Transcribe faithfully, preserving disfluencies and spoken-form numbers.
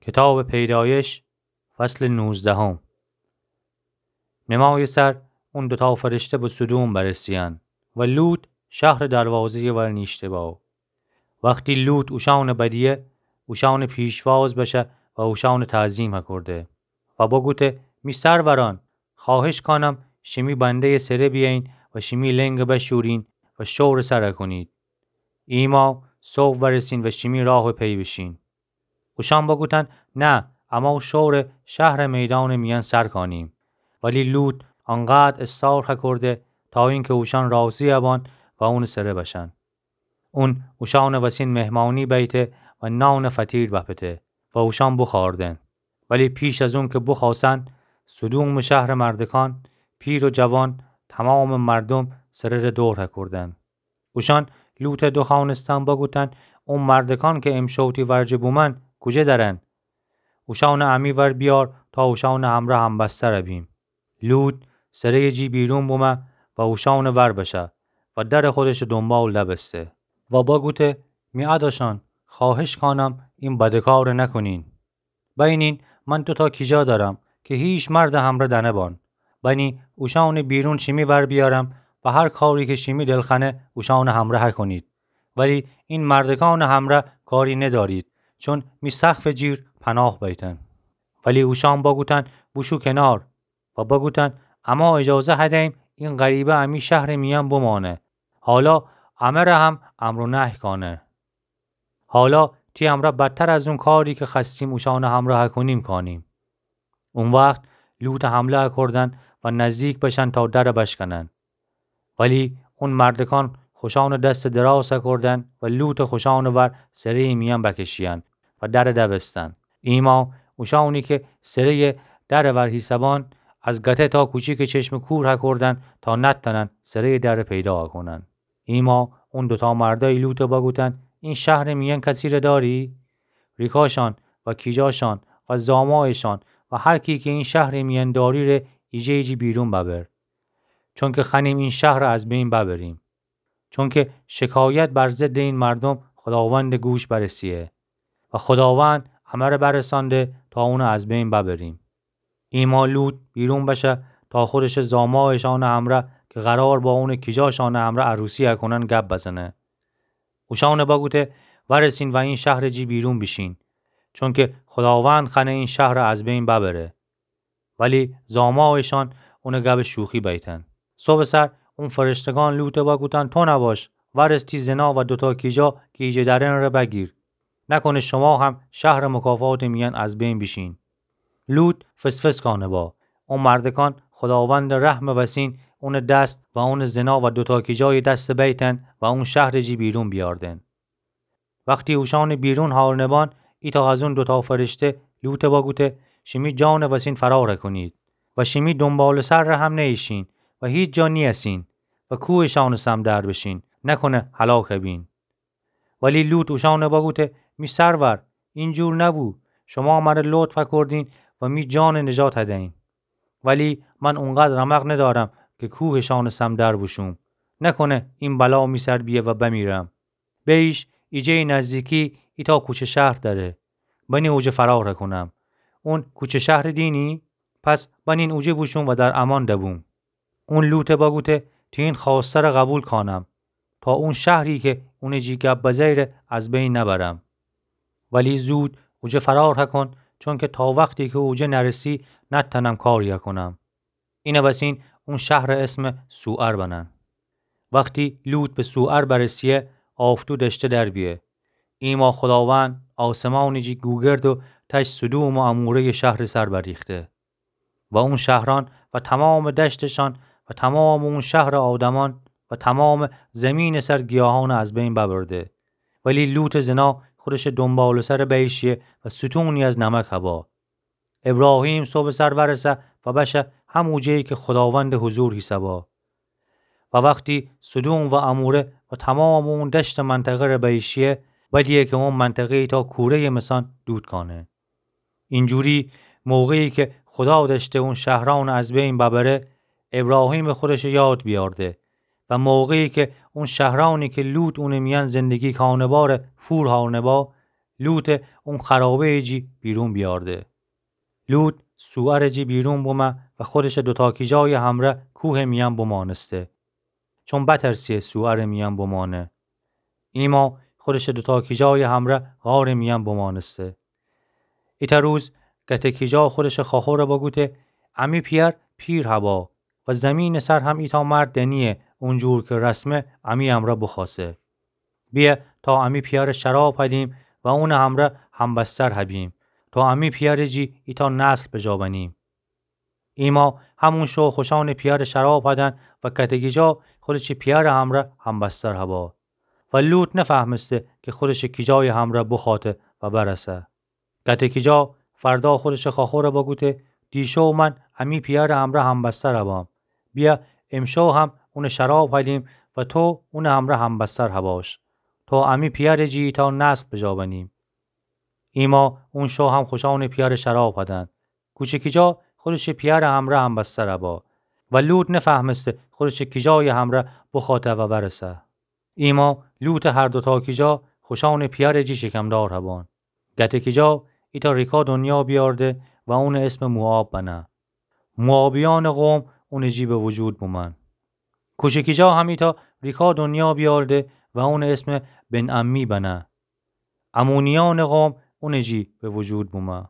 کتابٚ پیدایش، فصلٚ نوزدهم. نمایٚ سر اون دوتا فرشته به سدوم برسیأن و لوط شهرٚ دروازه‌یٚ ور نیشته با. وختی لوط اوشأنٚ بدیه، اوشأنٚ پیشواز بشه و اوشأنٚ تعظیم هکرده و بگوته: می سرورأن، خوأهش کانم شیمی بنده‌یٚ سره بیأیین و شیمی لنگٚ بشورین و شورٚ سر هکونید. ایما صبح ورسین و شیمی راهٚ پی بشین. اوشأن بگوتن: نه، اما او شورٚ شهرٚ میدانٚ میأن سر کانیم. ولی لوط انقدر اصرار هکرده تا اینکه اوشأن راضی هبان و اونٚ سره بشن. اون اوشأنٚ وسین مهمانی بیته و نانٚ فطیر بپته و اوشأن بوخوأردن. ولی پیش از اونکه بوخوأسن، سدومٚ شهرٚ مردکان، پیر و جوان، تومامٚ مردوم سره‌ره دور هکردن. اوشأن لوطَ دوخوأنستن بگوتن: او مردکان که امشو تی ورجه بومن، کوجه درن؟ اوشأنَ امی ور بیار تا اوشأنٚ همرأ همبستر بیم. لوط سره‌یٚ جی بیرون بومه و اوشأنٚ ور بشه و درٚ خودشٚ دونبال دبسته و بگوته: می اداشأن، خوأهش کانم این بدکارَ نکونین. بینین، من دوتا کیجا دأرم که هیچ مردٚ همرأ دنبان. بنی اوشأنَ بیرون شیمی ور بیأرم و هر کاری که شیمی دل خوأنه اوشأنٚ همرأ هکونید. ولی این مردکانٚ همرأ کاری ندأرید، چون می سقفٚ جیر پناه بیتن. ولی اوشأن بگوتن: بوشو کنار. و بگوتن: اما اجازه هدیم این غریبه امی شهرٚ میأن بمانه. حالا امره هم امر و نهی کانه. حالا تی همرأ بدتر از اون کاری که خوأستیم اوشأنٚ همرأ هکونیم کانیم. او وخت لوطَ حمله هکردن و نزدیک بشن تا درَ بشکنن. ولی اون مردکان خوشأنٚ دستَ دراز هکردن و لوطَ خوشأنٚ ور سره‌یٚ میأن بکشیأن و درَ دبستن. ایما اوشأنی که سره‌یٚ درٚ ور هیسبان، از گته تا کوچیکٚ چشمَ کور هکردن تا نتأنن سره‌یٚ درَ پیدا هکونن. ایما اون دوتا مردأی لوطَ بگوتن: این شهرٚ میأن کسی‌ره دأری؟ ریکاشأن و کیجاشأن و زامایشأن و هر کی که این شهرٚ میأن دأری‌ره ایجه‌یٚ جی بیرون ببر. چونکه خوأنیم این شهرَ از بین ببریم. چونکه شکایت بر ضدٚ این مردوم خوداوندٚ گوش برسه‌یه و خوداوند امره برسأنده تا اونَ از بین ببریم. ایما لوط بیرون بشه تا خودشٚ زامایشأنٚ همرأ که قرار با اونٚ کیجاشأنٚ همرأ عروسی هکونن گب بزنه. اوشأنَ بگوته: ورسین و این شهرٚ جی بیرون بیشین، چونکه خوداوند خوأنه این شهرَ از بین ببره. ولی زامایشأن اونٚ گبَ شوخی بیتن. صبحٚ سر اون فرشتگان لوطَ بگوتن: تو نباش، ورس تی زنا و دوتا کیجا که ایجه دأرنٚ ره بگیر. نکنه شما هم شهرٚ مکافاتٚ میأن از بین بیشین. لوط فس‌فس کانه با. او مردکان خوداوندٚ رحمٚ وسین اونٚ دست و اونٚ زنا و دوتا کیجایٚ دستَ بیتن و اون شهرٚ جی بیرون بیأردن. وختی اوشأنَ بیرون هارنه بان، ایتأ از اون دوتا فرشته لوطَ بگوته: شیمی جانٚ وسین فرار هکونید و شیمی دونبالٚ سرَ هم نییشین و هیچ جا نییسین و کوهٚ شأنٚ سمدر بشین، نکنه هلاک بین. ولی لوط اوشأنَ بگوته: می سرور، اینجور نبو، شما مرَ لطف هکردین و می جانَ نجات هدین. ولی من اونقدر رمق ندأرم که کوهٚ شأنٚ سمدر بوشوم، نکنه این بلا می سر بیه و بمیرم. بیش ایجه‌یٚ نزدیکی ایتأ کوچه شهر دأره. بنی اوجه فرار هکونم. اون کوچه شهرَ دینی؟ پس بنین اوجه بوشوم و در امان دبوم. اون لوطَ بگوته: تی این خوأسته‌ره قبول کانم، تا اون شهری که اونٚ جی گب بزه‌یی ره از بین نبرم. ولی زود اوجه فرار هکن، چونکه تا وختی که اوجه نرسی نتأنم کاری هکونم. اینٚ وسین اون شهرَ اسمَ سوئر بنن. وختی لوط به سوئر برسیه، آفتو دشته در بیه. ایما خوداوند آسمانٚ جی گوگرد و تش سدوم و عموره‌یٚ شهرٚ سر بریخته. و اون شهرأن و تمامٚ دشتشأن و تمامٚ اون شهرٚ آدمأن و تمامٚ زیمینٚ سر گیاهأنَ از بین ببرده. ولی لوطٚ زنا خودشٚ دونبالٚ سرَ بیشیه و ستونی از نمک هبا. ابراهیم صبحٚ سر ورسه و بشه همو جه‌یی که خوداوندٚ حضور هیسه با. و وختی سدوم و عموره و تمامٚ اون دشتٚ منطقه‌ره بیشیه، بدیه که اون منطقه ایتأ کوره‌یٚ مسأن دود کانه. اینجوری موقعی که خودا دأشته اون شهرأنَ از بین ببره، ابراهیم خودشٚ یاد بیأرده و موقعی که اون شهرأنی که لوط اونٚ میأن زندگی کانه باره فور هارنه با، لوطَ اون خرابه‌یٚ جی بیرون بیارده. لوط سوئرٚ جی بیرون بومه و خودشٚ دوتا کیجایٚ همرأ کوهٚ میأن بمانسته، چون بترسه سوئرٚ میأن بمانه. ایما خودشٚ دوتا کیجایٚ همرأ غارٚ میأن بمانسته. ایتأ روز گتٚ کیجا خودشٚ خواخورَ بگوته: امی پیأر پیر هبا و زیمینٚ سر هم ایتأ مرد دنییه اونجور کی رسمه امی امرأ بخوأسه. بیه تا امی پیأرَ شراب هدیم و اونٚ همرأ همبستر هبیم، تا امی پیأرٚ جی ایتأ نسل بجا بنیم. ایما همون شو خوشأنٚ پیأرَ شراب هدن و گتٚ کیجا خودشٚ پیأرٚ همرأ همبستر هبا. و لوط نفهمسته کی خودشٚ کیجایٚ همرأ بخوأته و برسه. گتٚ کیجا فردا خودشٚ خواخورَ بگوته: دیشو من امی پیأرٚ همرأ همبستر هبام. بیه امشو هم اونَ شراب هدیم و تو اونٚ همرأ همبستر هباش، تا امی پیأرٚ جی ایتأ نسل بجا بنیم. ایما اون شو هم خوشأنٚ پیأرَ شراب هدن. کوچه کیجا خودشٚ پیأرٚ همرأ همبستر هبا و لوط نفهمسته خودشٚ کیجایٚ همرأ بخوأته و برسه. ایما لوطٚ هر دوتا کیجا خوشأنٚ پیأرٚ جی شکمدار هبان. گتٚ کیجا ایتأ ریکا دنیا بیأرده و اونٚ اسم موآب بنه. موآبیأنٚ قوم اونٚ جی به وجود بومأن. کوچه کیجا هم ایتأ ریکا دنیا بیأرده و اونٚ اسم بن‌عمی بنه. عمونیأنٚ قوم اونٚ جی به وجود بومه.